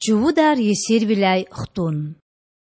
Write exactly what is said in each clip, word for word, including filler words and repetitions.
Чувудар есирвиляй хтун.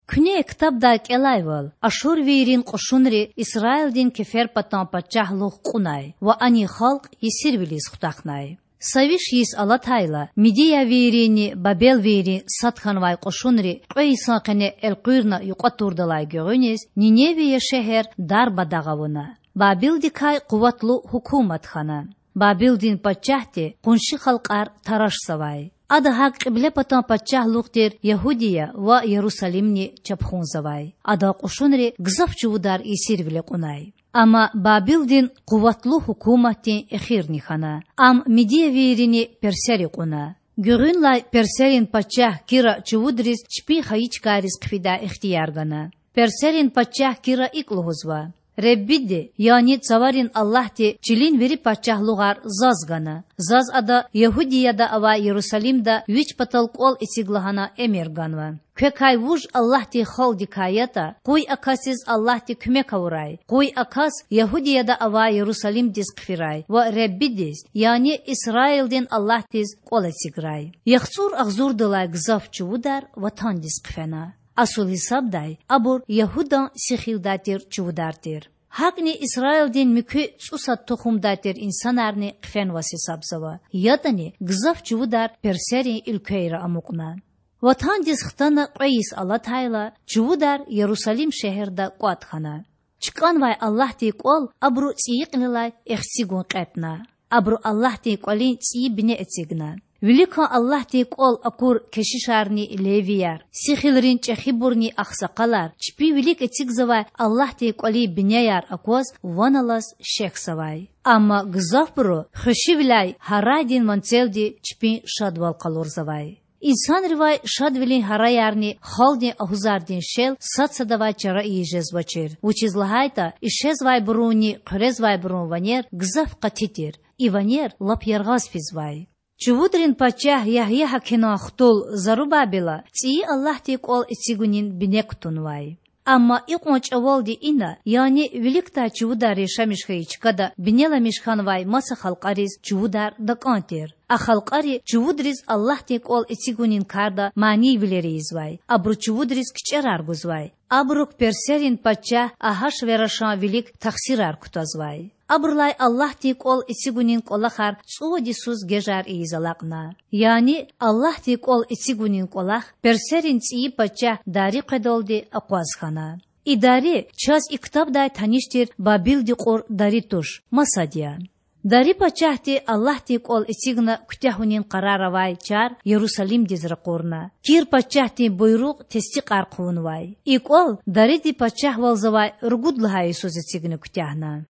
Куьне ктабдай кІелайвал, ашурвийрин кьушунри Исраилдин кеферпатан пачагьлугъ кьунай ва анин халкь есирвилиз хутахнай. Са виш йис алатайла, мидиявийринни бабелвийрин сад хьанвай кьушунри кьве йисан къене элкъуьрна юкьва турдалай гуьгъуьниз Ниневия шегьер дарбадагъ авуна. Бабилдикай къуватлу гьукумат хьана. Бабилдин пачагьди къунши халкьар тарашзавай. Ада гьакІ кьиблепатан пачагьлугъ тир Ягьудия ва Ярусалимни чапхунзавай. Адан кьушунри гзаф чувудар есирвиле кьунай. Амма Бабилдин къуватлу гьукуматдин эхирни хьана. Ам мидиявийрини персери кьуна. Гуьгъуьнлай персерин пачагь Кира чувудриз чпин хайи чкайриз хъфидай ихтияр гана. Персерин пачагь Кира икІ лугьузва: Худадин, яни цаварин Аллагьди чилин вири пачагьлугъар заз гана. Заз Ада Ягьудияда авай Ярусалимда Вич патал кІвал эциг лагьана эмир ганва. Квекай вуж Аллагьдин халкьдикай ятІа, къуй а касдиз Аллагьди куьмек авурай, къуй а кас Ягьудияда авай Ярусалимдиз хъфирай ва Худадиз, яни Исраилдин Аллагьдиз кІвал эциграй. ЯхцІур агъзурдалай гзаф чувудар ватандиз хъфена. Асул гьисабдай абур Ягьудан сихилдай тир чувудар тир. ГьакІни Исраилдин муькуь цІусад тухумдай тир инсанарни хъфенваз гьисабзава. ЯтІани гзаф чувудар персерин уьлквейра амукьна. Ватандиз хтана кьве йис алатайла, чувудар Ярусалим шегьерда кІватІ хьана. ЧкІанвай Аллагьдин кІвал абуру цІийи кьилелай эхцигун кьетІна. Абуру Аллагьдин кІвалин цІийи бине эцигна. Виликан Аллагьдин кІвал акур кешишарни левияр, сихилрин чІехибурни агъсакъалар чпин вилик эцигзавай Аллагьдин кІвалин бинеяр акваз ван алаз шехьзавай. Амма гзафбуру хвешивиляй гьарайдин ванцелди чпин шадвал къалурзавай. Инсанривай шадвилин гьараярни халкьдин агьузардин шел сад-садавай чара ийиз жезвачир, вучиз лагьайтІа ишезвайбурунни хъуьрезвайбурун ванер гзаф къати тир, и ванер лап яргъаз физвай. Чувудрин пачагь Ягьягьакинан хтул Зарубабела цІийи Аллагьдин кІвал эцигунин бине кутунвай. Амма икьван чІавалди ина, яни виликдай чувудар яшамиш хьайи чкада бинеламиш хьанвай маса халкьариз чувудар такІан тир. А халкьари чувудриз Аллагьдин кІвал эцигунин карда манийвилер ийизвай, абуру чувудриз кичІерар гузвай, абурук персерин пачагь Агьашверашан вилик тахсирар кутазвай. Абурулай Аллагьдин кІвал эцигунин кІвалахар цІувад йисуз гежар ийиз алакьна. Яни Аллагьдин кІвал эцигунин кІвалах персерин цІийи пачагь Дари къведалди акъваз хьана. И Дари чаз и ктабдай таниш тир Бабилдин кьур Дари туш, масад я. Дари пачагьди Аллагьдин кІвал эцигна куьтягьунин къарар авай чар Ярусалимдиз ракъурна. Кир пачагьдин буйругъ тестикьар хъувунвай. И кІвал Дариди пачагьвалзавай ругуд лагьай йисуз эцигна куьтягьна.